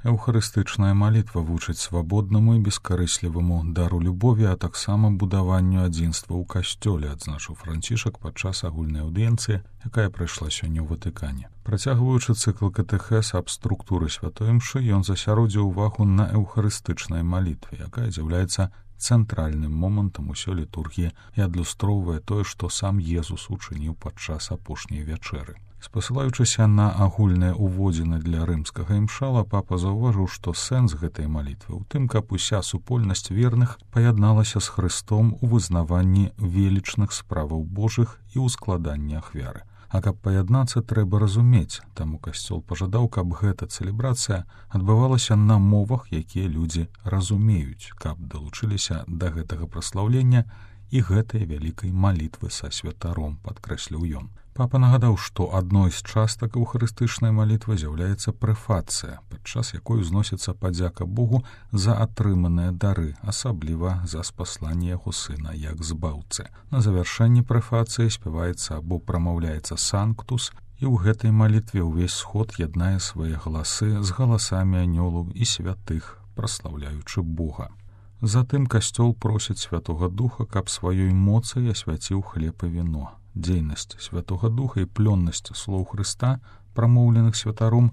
Эўхарыстычная малітва вучыць свабоднаму і бескарысліваму дару любові, а таксама будаванню адзінства ў касцёле, адзначыў Францішак падчас агульнай аўдыенцыі, якая прайшла сёння ў Ватыкане. Працягваючы цыкл катэхез аб структуры святой імшы, ён засяродзіў увагу на эўхарыстычнай малітве, якая з'яўляецца цэнтральным момантам усёй літургіі і адлюстроўвае тое, што сам Езус учыніў падчас апошняй вячэры. Спасылаючыся на агульныя ўводзіны для рымскага імшала, папа заўважыў, што сэнс гэтай малітвы ў тым, каб уся супольнасць верных паядналася з Хрыстом у вызнаванні велічных справаў Божых і ў складанні ахвяры. А каб паяднацца, трэба разумець, таму касцёл пажадаў, каб гэта цэлебрацыя адбывалася на мовах, якія людзі разумеюць, каб далучыліся да гэтага праслаўлення і гэтай вялікай малітвы са святаром, падкрэсліў ён. Папа нагадаў, што адной з частак эўхарыстычнай малітвы з'яўляецца прэфацыя, падчас якой узносіцца падзяка Богу за атрыманыя дары, асабліва за спасланне яго сына як збаўцы. На завяршэнні прэфацыі спяваецца або прамаўляецца санктус, і ў гэтай малітве ўвесь сход яднае свае галасы з галасамі анёлаў і святых, праслаўляючы Бога. Затым касцёл просіць Святога Духа, каб сваёй моцай асвяціў хлеб і віно. Дзейнасць Святога Духа і плённасць слоў Хрыста, прамоўленых святаром,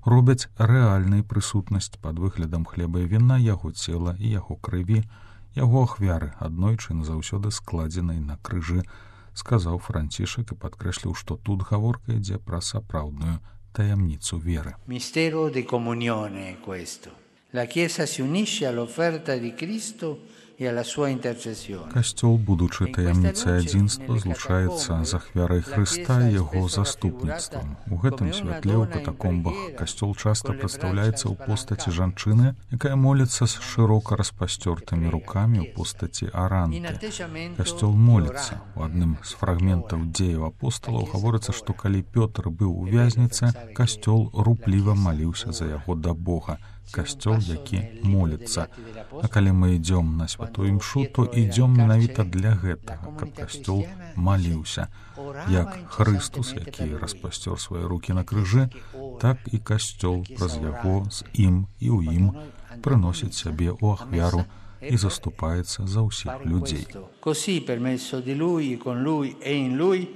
робяць рэальнай прысутнасць пад выглядам хлеба і віна яго цела і яго крыві, яго ахвяры, аднойчы назаўсёды складзенай на крыжы, сказаў Францішак і падкрэсліў, што тут гаворка ідзе пра сапраўдную таямніцу веры. Mistero di comunione questo. La Chiesa si unisce all'offerta di Cristo и alla sua intercessione. Касцёл, будучы таямніцай адзінства, злучаецца з ахвярай Хрыста і яго заступніцтвам. У гэтым святле ў катакомбах касцёл часта прадстаўляецца ў постаці жанчыны, якая моліцца з шырока распасцёртымі рукамі ў постаці аранты. Касцёл моліцца. У адным з фрагментаў дзеяў апосталаў гаворыцца, што калі Пётр быў у вязніцы, касцёл рупліва маліўся за яго да Бога. Касцёл, які моліцца. А калі мы ідзём на святую імшу, то ідзём менавіта для гэтага, каб касцёл маліўся. Як Хрыстус, які распасцёр свае рукі на крыжы, так і касцёл праз яго з ім і ў ім прыносіць сябе ў ахвяру і заступаецца за ўсіх людзей. Così per mezzo di lui, con lui e in lui,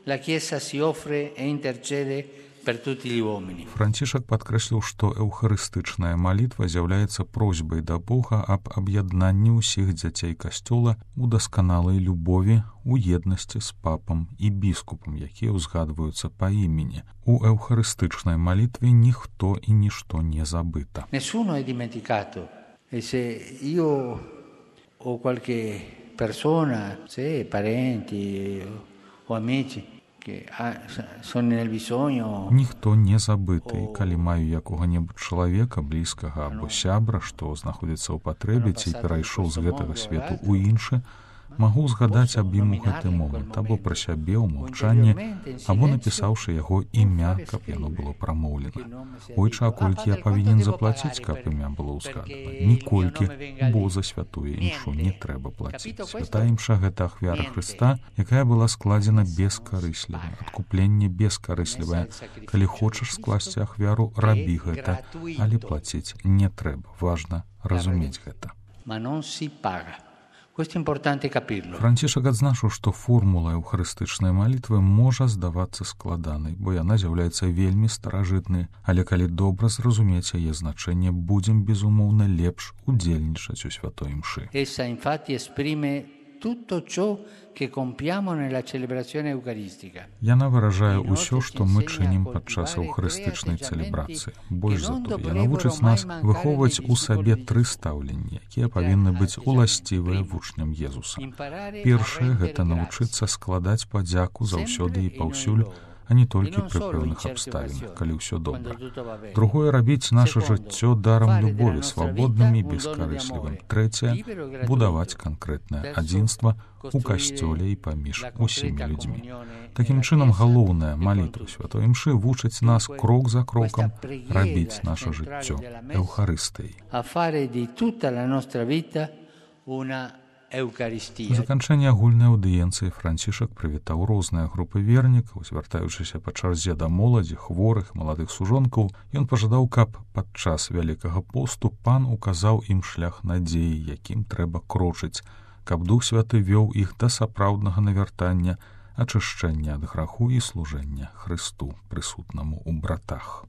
la Chiesa si offre e intercede Францішак падкрэсліў, што эўхарыстычная малітва з'яўляецца просьбай да Бога аб аб'яднанні ўсіх дзяцей касцёла у дасканалай любові, у еднасці з папам і біскупам, якія ўзгадваюцца па імені. У эўхарыстычнай малітве ніхто і нішто не забыта. Nessuno è dimenticato. E se io o qualche persona, se parenti o amici Ніхто не забыты, калі маю якога-небудзь чалавека, блізкага або сябра, што знаходзіцца ў патрэбе ці перайшоў з гэтага свету ў іншы, магу згадаць аб ім у гэты момант, або пра сябе ў маўчанні, або напісаўшы яго імя, каб яно было прамоўлена. Ойча, колькі я павінен заплаціць, каб імя было ўзгадана? Ніколькі, бо за святую імшу не трэба плаціць. Святая імша — гэта ахвяра Хрыста, якая была складзена бескарысліва. Адкупленне бескарыслівае. Калі хочаш скласці ахвяру, рабі гэта, але плаціць не трэба. Важна разумець гэта. Францішак адзначыў, што формула эўхарыстычнай малітвы можа здавацца складанай, бо яна з'яўляецца вельмі старажытнай, але калі добра зразумець яе значэнне, будзем, безумоўна, лепш удзельнічаць у святой імшы. Яна выражае ўсё, што мы чынім падчас эўхарыстычнай цэлебрацыі. Больш за тое, яна вучыць нас выхоўваць у сабе тры стаўленні, якія павінны быць уласцівыя вучням Езуса. Першае — гэта навучыцца складаць падзяку заўсёды і паўсюль, а не толькі пры пэўных абставінах, калі ўсё добра. Другое — рабіць наша жыццё дарам любові, свабодным і бескарыслівым. Трэцяе — будаваць канкрэтнае адзінства у касцёле і паміж усімі людзьмі. Такім чынам, галоўная малітва святой імшы вучыць нас крок за крокам рабіць наша жыццё эўхарыстыяй. Eucaristia. Па заканчэнні агульнай аўдыенцыі Францішак прывітаў розныя групы вернікаў, звяртаючыся па чарзе да моладзі, хворых, маладых сужонкаў. Ён пажадаў, каб падчас Вялікага посту пан указаў ім шлях надзеі, якім трэба крочыць, каб Дух Святы вёў іх да сапраўднага навяртання, ачышчэння ад граху і служэння Хрысту, прысутнаму ў братах.